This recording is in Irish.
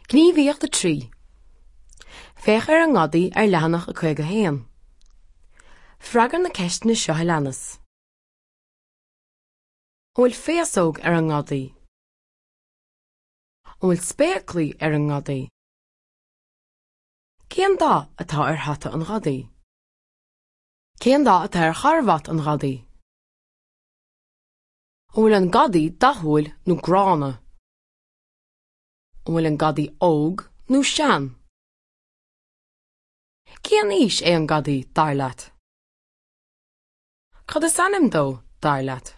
Gníomhaíocht 3. Féach ar an ngadaí ar leathanach 51. Freagair na ceisteanna seo a leanas. An bhfuil féasóg ar an ngadaí? An bhfuil spéaclaí ar an ngadaí? Cén dath atá ar hata an ghadaí? Cén dath atá ar charbhat an ghadaí? An bhfuil an gadaí dathúil nó gránna? An bhfuil an gadaí óg nó sean? Cén aois é an gadaí, dar leat? Cad is ainm dó, dar leat?